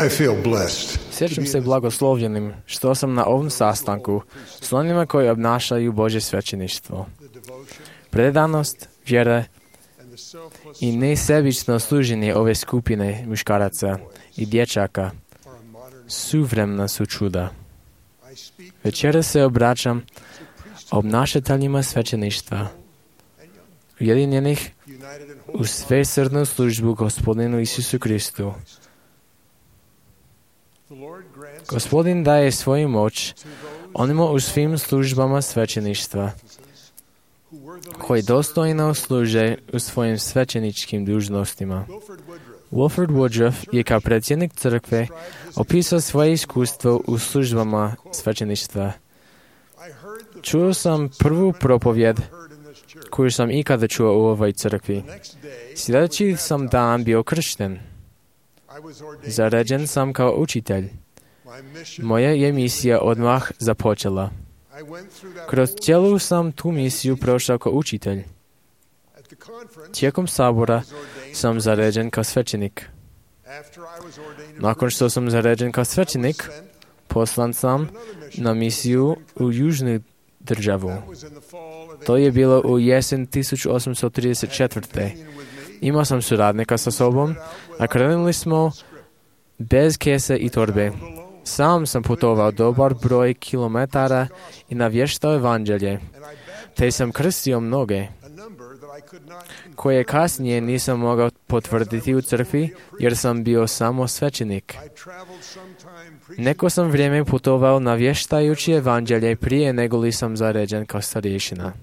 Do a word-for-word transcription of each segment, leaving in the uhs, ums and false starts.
I feel blessed. Sjećam se blagoslovljenim što sam na ovom sastanku s onima koji obnašaju Božje svećeništvo. Predanost, vjera i nesebično služenje ove skupine muškaraca i dječaka suvremena su čuda. Večera se obraćam obnašateljima svećeništva, ujedinjenih u svesrdnu službu Gospodinu Isusu Kristu. Gospodin daje svoju moć onima u svim službama svećeništva, koji dostojno služe u svojim svećeničkim dužnostima. Wilford Woodruff je kao predsjednik crkve opisao svoje iskustvo u službama svećeništva. Čuo sam prvu propovjed koju sam ikada čuo u ovoj crkvi. Sljedeći sam dan bio kršten. Zaređen sam kao učitelj. Moja je misija odmah započela. Kroz cijelu sam tu misiju prošao kao učitelj. Tijekom sabora sam zaređen kao svećenik. Nakon što sam zaređen kao svećenik, poslan sam na misiju u južnu državu. To je bilo u jesen tisuću osamsto trideset četvrte. Imao sam suradnika sa sobom, a krenuli smo bez kese i torbe. Sam sam putovao dobar broj kilometara i navještao evanđelje, te sam krstio mnoge, koje kasnije nisam mogao potvrditi u crkvi, jer sam bio samo svećenik. Neko sam vrijeme putovao navještajući evanđelje prije nego li sam zaređen kao starješina.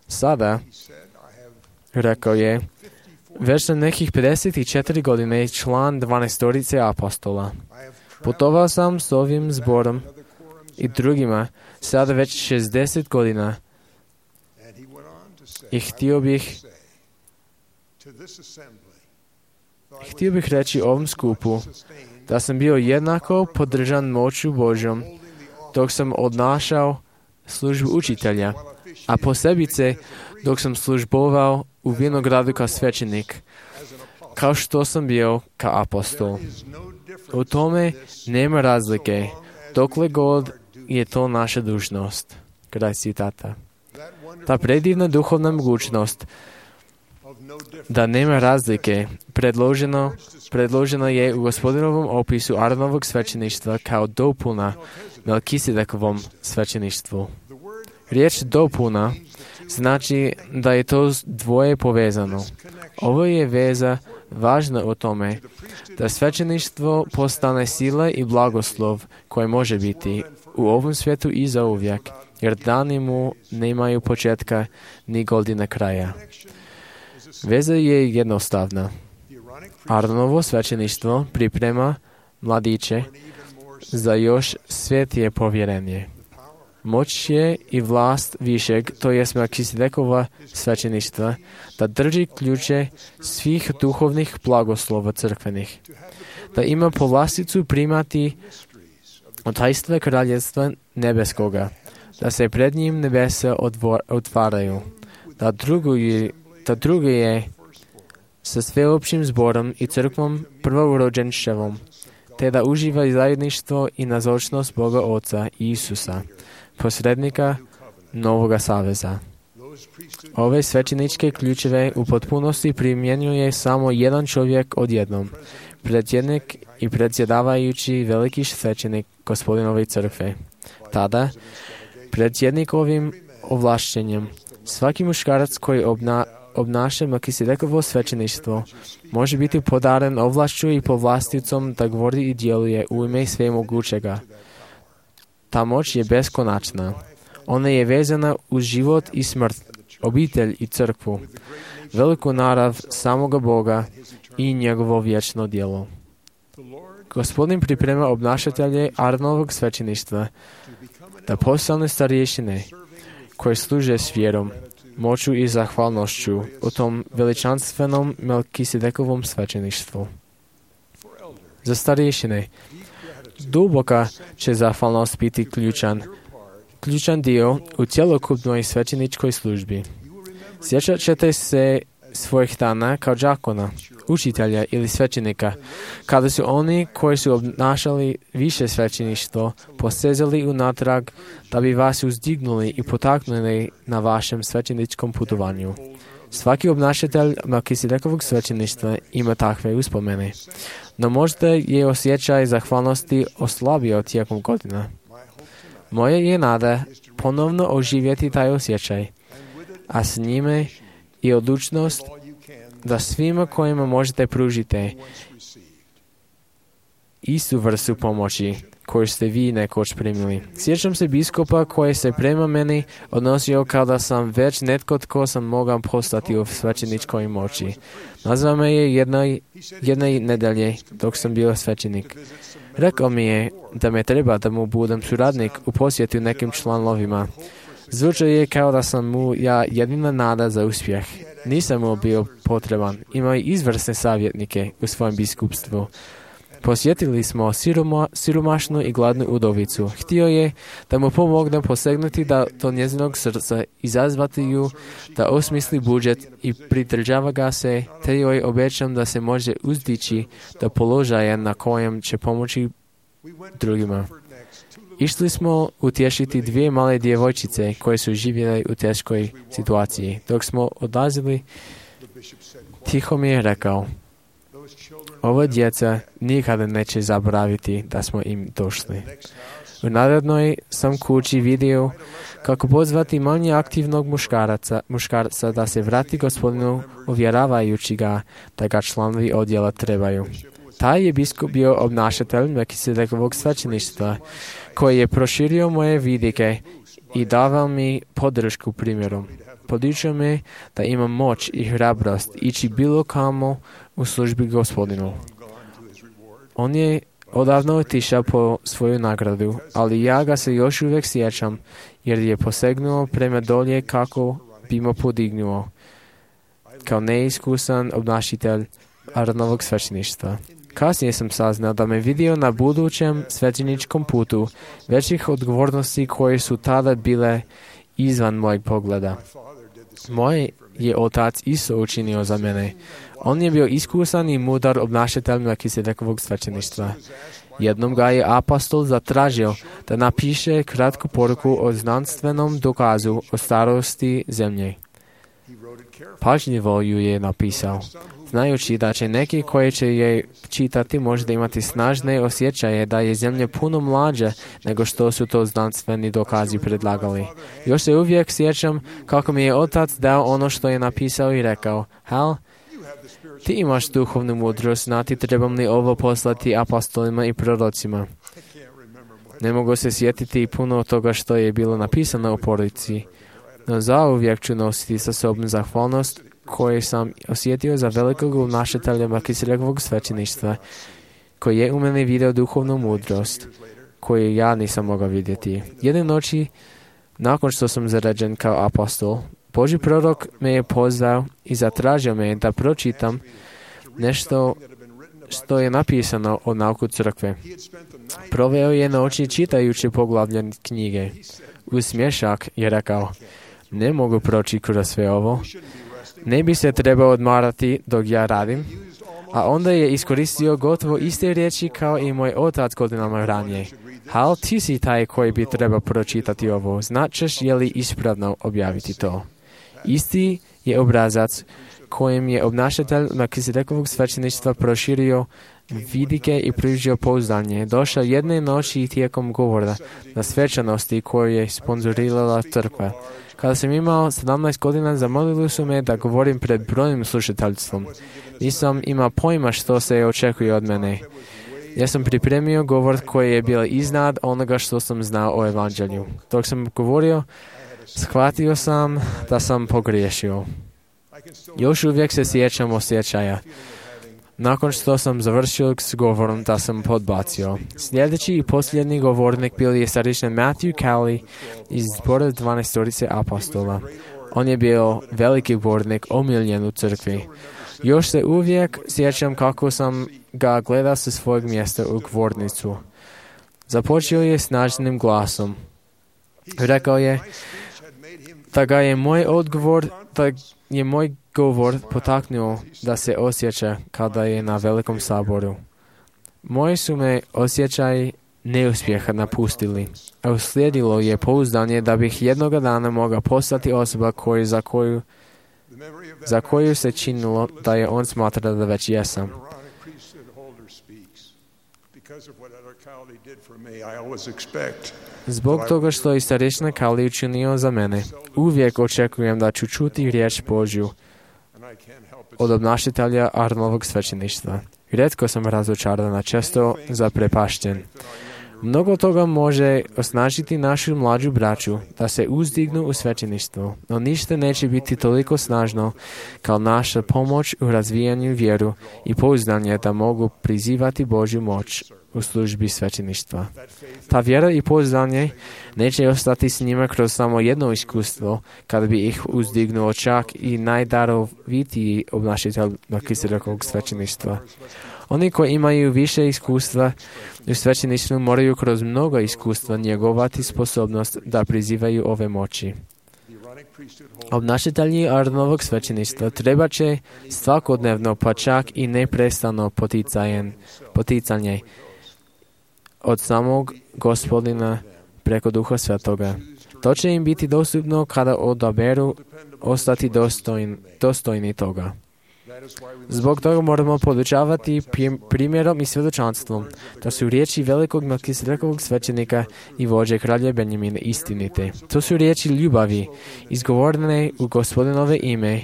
Sada, rekao je, već sam nekih pedeset četiri godine član dvanaestorice apostola. Putovao sam s ovim zborom i drugima sada već šezdeset godina i htio bih htio bih reći ovom skupu da sam bio jednako podržan moću Božjom dok sam odnašao službu učitelja, a posebice dok sam službovao u vinogradu kao svećenik, kao što sam bio kao apostol. U tome nema razlike, dokle god je to naša dužnost. Kraj citata. Ta predivna duhovna mogućnost da nema razlike predloženo, predloženo je u Gospodinovom opisu Aaronovog svećeništva kao dopuna Melkisedekovom svećeništvu. Riječ dopuna znači da je to dvoje povezano. Ovo je veza važna u tome da svećeništvo postane sila i blagoslov koje može biti u ovom svijetu i zauvijek, jer dani mu nemaju početka ni godine kraja. Veza je jednostavna. Aaronovo svećeništvo priprema mladiće za još svjetije povjerenje. Moć je i vlast višeg, to je Melkisedekova svećeništva, da drži ključe svih duhovnih blagoslova crkvenih, da ima povlasticu primati tajstva kraljevstva nebeskoga, da se pred njim nebesa otvaraju, da drugo je, da drugo je sa sveopćim zborom i crkvom prvorođenčevom, te da uživa zajedništvo i nazočnost Boga Oca i Isusa, posrednika Novoga saveza. Ove svećeničke ključeve u potpunosti primjenjuje samo jedan čovjek odjednom, predsjednik i predsjedavajući veliki svećenik Gospodinove crkve. Tada, predsjednikovim ovlašćenjem, svaki muškarac koji obna, obnaša Melkisedekovo svećeništvo može biti podaren ovlašću i povlasticom da govori i djeluje u ime svemogućega. Ta moć je beskonačna. Ona je vezana uz život i smrt, obitelj i crkvu, veliku narav samoga Boga i njegovo vječno djelo. Gospodin priprema obnašatelje Aaronovog svećeništva da postane starješine koje služe s vjerom, moću i zahvalnošću u tom veličanstvenom Melkisedekovom svećeništvu. Za starješine duboka će zahvalnost biti ključan, ključan dio u cjelokupnoj svećeničkoj službi. Sjećat ćete se svojih dana kao đakona, učitelja ili svećenika, kada su oni koji su obnašali više svećeništvo posezali unatrag da bi vas uzdignuli i potaknuli na vašem svećeničkom putovanju. Svaki obnašatelj Melkisedekovog svećeništva ima takve uspomene, no možda je osjećaj zahvalnosti oslabio tijekom godina. Moje je nada ponovno oživjeti taj osjećaj, a s njime i odlučnost da svima kojima možete pružite istu vrstu pomoći koju ste vi nekoć primili. Sjećam se biskupa koji se prema meni odnosio kada sam već netko tko sam mogao postati u svećeničkoj moći. Nazvao me je jednoj, jedne nedelje dok sam bio svećenik. Rekao mi je da me treba da mu budem suradnik u posjetu nekim članovima. Zvučao je kao da sam mu ja jedina nada za uspjeh. Nisam mu bio potreban. Imao je izvrsne savjetnike u svojem biskupstvu. Posjetili smo siroma, siromašnu i gladnu udovicu. Htio je da mu pomognem posegnuti da do njezinog srca, izazvati ju, da osmisli budžet i pridržava ga se, te joj obećam da se može uzdići do položaja na kojem će pomoći drugima. Išli smo utješiti dvije male djevojčice koje su živjele u teškoj situaciji. Dok smo odlazili, tiho mi je rekao: ova djeca nikada neće zaboraviti da smo im došli. U narednoj sam kući vidio kako pozvati manje aktivnog muškaraca, muškarca da se vrati Gospodinu, uvjeravajući ga da ga članovi odjela trebaju. Taj je biskup bio obnašatelj Melkisedekovog svećeništva, koji je proširio moje vidike i davao mi podršku primjerom. Podučio me da imam moć i hrabrost ići bilo kamo u službi Gospodinu. On je odavno otišao po svoju nagradu, ali ja ga se još uvijek sjećam, jer je posegnuo prema dolje kako bi me podignuo, kao neiskusan obnašitelj Aronovog svećeništva. Kasnije sam saznao da me vidio na budućem svećeničkom putu većih odgovornosti koje su tada bile izvan mojeg pogleda. Moj je otac isto učinio za mene. On je bio iskusan i mudar obnašatelj Melkisedekovog svećeništva. Jednom ga je apostol zatražio da napiše kratku poruku o znanstvenom dokazu o starosti zemlje. Pažljivo ju je napisao, znajući da će neki koji će je čitati možda imati snažne osjećaje da je zemlja puno mlađa nego što su to znanstveni dokazi predlagali. Još se uvijek sjećam kako mi je otac dao ono što je napisao i rekao: Hal, ti imaš duhovnu mudrost, znati trebam li ovo poslati apostolima i prorocima. Ne mogu se sjetiti puno toga što je bilo napisano u poruci, no zauvijek ću nositi sa sobom zahvalnost koju sam osjetio za velikog obnašatelja Melkisedekovog svećeništva, koji je u mene vidio duhovnu mudrost, koju ja nisam mogao vidjeti. Jedne noći, nakon što sam zaređen kao apostol, Božji prorok me je pozvao i zatražio me da pročitam nešto što je napisano o nauku crkve. Proveo je noći čitajući poglavlje knjige. Uz smješak je rekao: ne mogu proći kroz sve ovo. Ne bi se trebao odmarati dok ja radim. A onda je iskoristio gotovo iste riječi kao i moj otac godinama ranije. Hal, ti si taj koji bi trebao pročitati ovo. Značeš je li ispravno objaviti to? Isti je obrazac kojim je obnašatelj Melkisedekovog svećeništva proširio vidike i pružio pouzdanje. Došao jedne noći tijekom govora na svečanosti koju je sponzorirala crkva. Kada sam imao sedamnaest godina, zamolili su me da govorim pred brojnim slušateljstvom. Nisam imao pojma što se očekuje od mene. Ja sam pripremio govor koji je bio iznad onoga što sam znao o evanđelju. Dok sam govorio, shvatio sam da sam pogriješio. Još uvijek se sjećam osjećaja. Nakon što sam završio s govorom, da sam podbacio. Sljedeći i posljednji govornik bio je staričan Matthew Cowley iz zbora dvanaestorice apostola. On je bio veliki govornik, omiljen u crkvi. Još se uvijek sjećam kako sam ga gledao sa svojeg mjesta u govornicu. Započeo je snažnim glasom. Rekao je da ga je moj odgovor, da je moj govor potaknuo da se osjeća kada je na velikom saboru. Moji su me osjećaj neuspjeha napustili, a uslijedilo je pouzdanje da bih jednoga dana mogao postati osoba koju, za, koju, za koju se činilo da je on smatra da već jesam. Zbog toga što je starešina Kali učinio za mene, uvijek očekujem da ću čuti riječ Božju od obnašatelja Arnovog svećeništva. Rijetko sam razočaran, a često zaprepašten. Mnogo toga može osnažiti našu mlađu braću da se uzdignu u svećeništvu, no ništa neće biti toliko snažno kao naša pomoć u razvijanju vjeru i pouzdanje da mogu prizivati Božju moć u službi svećeništva. Ta vjera i pouzdanje neće ostati s njima kroz samo jedno iskustvo, kada bi ih uzdignuo čak i najdarovitiji obnašatelj Melkisedekog svećeništva. Oni koji imaju više iskustva u svećeništvu moraju kroz mnogo iskustva njegovati sposobnost da prizivaju ove moći. Obnašatelji Aronovog svećeništva treba će svakodnevno, pa čak i neprestano poticanje od samog Gospodina preko Duha Svetoga. To će im biti dostupno kada odaberu ostati dostojni, dostojni toga. Zbog toga moramo podučavati primjerom i svjedočanstvom da su riječi velikog Melkisedekovog svećenika i vođe kralja Benjamina istinite. To su riječi ljubavi, izgovorene u Gospodinove ime.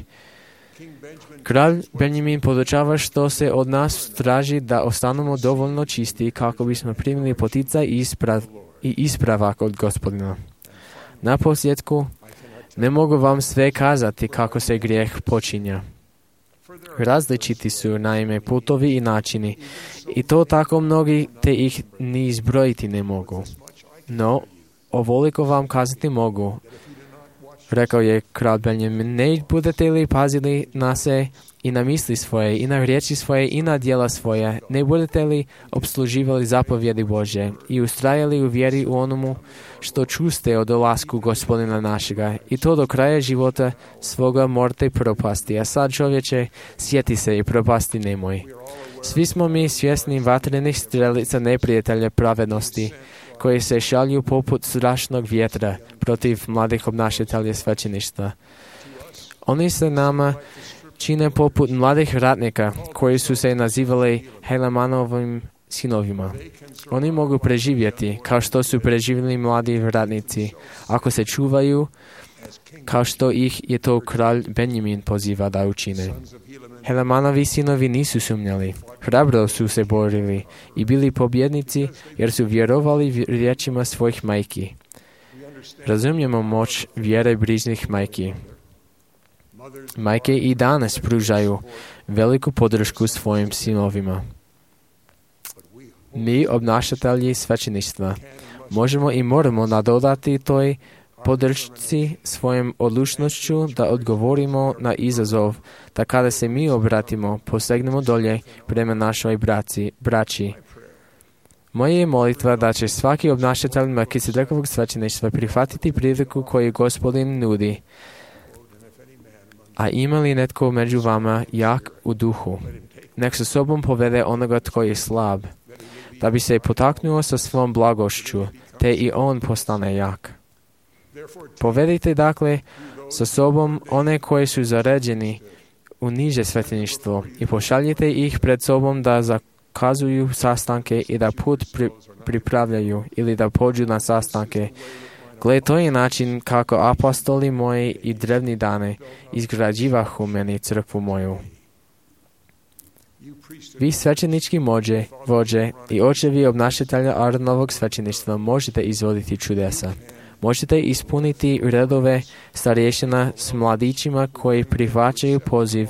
Kralj Benjamin podučava što se od nas traži da ostanemo dovoljno čisti kako bismo primili poticaj i, isprav, i ispravak od Gospodina. Na posljedku, ne mogu vam sve kazati kako se grijeh počinja. Različiti su naime putovi i načini i to tako mnogi te ih ni izbrojiti ne mogu. No, ovoliko vam kazati mogu, rekao je kralj Benjamin, ne budete li pazili na se i na misli svoje, i na riječi svoje, i na djela svoje, ne budete li obsluživali zapovjedi Bože i ustrajali u vjeri u onomu što čuste o dolasku Gospodina našega, i to do kraja života svoga morte propasti. A sad, čovječe, sjeti se i propasti nemoj. Svi smo mi svjesni vatrenih strelica neprijatelja pravednosti, koji se šalju poput strašnog vjetra protiv mladih obnašatelja svećeništva. Oni se nama čine poput mladih ratnika koji su se nazivali Helemanovim sinovima. Oni mogu preživjeti kao što su preživjeli mladi ratnici, ako se čuvaju kao što ih je to kralj Benjamin poziva da učine. Helemanovi sinovi nisu sumnjali, hrabro su se borili i bili pobjednici jer su vjerovali riječima svojih majki. Razumijemo moć vjere brižnih majki. Majke i danas pružaju veliku podršku svojim sinovima. Mi, obnašatelji svećeništva, možemo i moramo nadodati toj podršci svojom odlučnošću da odgovorimo na izazov, da kada se mi obratimo, posegnemo dolje prema našoj braci, braći. Moja je molitva da će svaki obnašatelj Melkisedekovog svećeništva prihvatiti priliku koju Gospodin nudi. A ima li netko među vama jak u duhu? Nek sa sobom povede onoga tko je slab, da bi se potaknuo sa svom blagošću, te i on postane jak. Povedite dakle sa sobom one koji su zaređeni u niže svećeništvo i pošaljite ih pred sobom da zakazuju sastanke i da put pri, pripravljaju ili da pođu na sastanke. Gle, to je način kako apostoli moji i drevni dane izgrađivahu meni crkvu moju. Vi svećenički mođe, vođe i očevi obnašatelja Aronovog svećeništva možete izvoditi čudesa. Možete ispuniti redove starješina s mladićima koji prihvaćaju poziv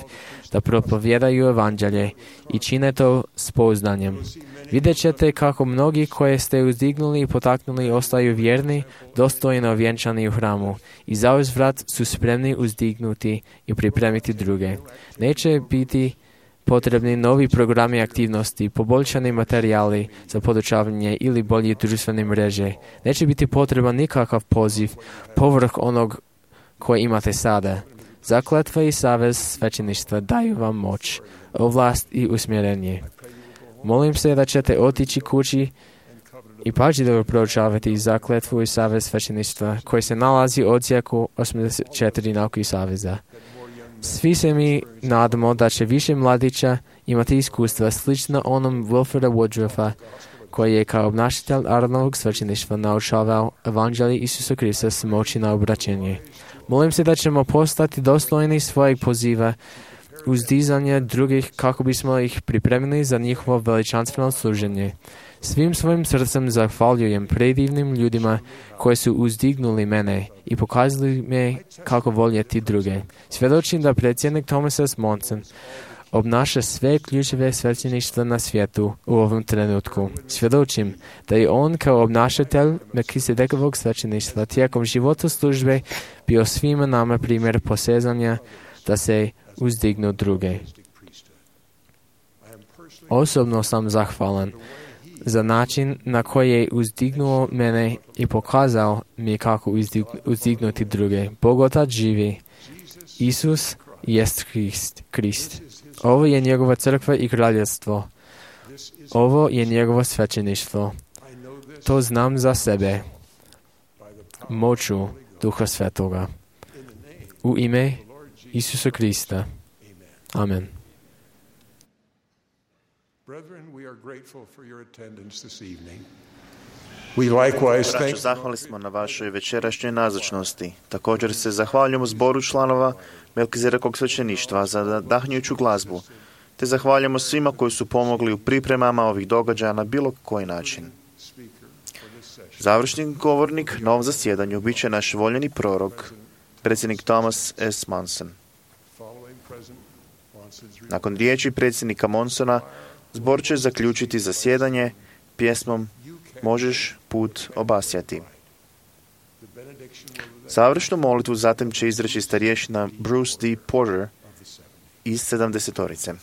da propovjedaju evanđelje i čine to s pouzdanjem. Vidjet ćete kako mnogi koje ste uzdignuli i potaknuli ostaju vjerni, dostojno vjenčani u hramu i zauzvrat su spremni uzdignuti i pripremiti druge. Neće biti potrebni novi programi aktivnosti, poboljšani materijali za podučavanje ili bolje društvene mreže. Neće biti potreban nikakav poziv povrh onog koje imate sada. Zakletva i savez svećeništva daju vam moć, ovlast i usmjerenje. Molim se da ćete otići kući i pažljivo proučavati zakletvu i savez svećeništva koji se nalazi u odsjeku osamdeset četiri Nauki saveza. Svi se mi nadamo da će više mladića imati iskustva slično onom Wilfreda Woodruffa, koji je kao obnašatelj Aronovog svećeništva naučavao evanđelje Isusa Krista s moći na obraćenje. Molim se da ćemo postati dostojni svojeg poziva uzdizanja drugih kako bismo ih pripremili za njihovo veličanstveno služenje. Svim svojim srcem zahvaljujem predivnim ljudima koji su uzdignuli mene i pokazali me kako voljeti druge. Svjedočim da predsjednik Thomas S. Monson obnaša sve ključeve svećeništva na svijetu u ovom trenutku. Svjedočim da je on kao obnašatelj Melkisedekovog svećeništva tijekom života službe bio svima nama primjer posezanja da se uzdignu druge. Osobno sam zahvalan za način na koji je uzdignuo mene i pokazao mi kako uzdignuti druge. Bog Otac živi. Isus jest Krist. Krist. Ovo je njegova crkva i kraljevstvo. Ovo je njegovo svećeništvo. To znam za sebe. Moću Duha Svetoga. U ime Isusa Krista. Amen. Braćo, zahvali smo na vašoj večerašnjoj nazočnosti. Također se zahvaljujemo zboru članova Melkisedekog svećeništva za nadahnjujuću glazbu, te zahvaljujemo svima koji su pomogli u pripremama ovih događaja na bilo koji način. Završni govornik na ovom zasjedanju bit će naš voljeni prorok, predsjednik Thomas S. Monson. Nakon riječi predsjednika Monsona, zbor će zaključiti zasjedanje pjesmom Možeš put obasjati. Završnu molitvu zatim će izreći starješina Bruce D. Porter iz sedamdesetorice.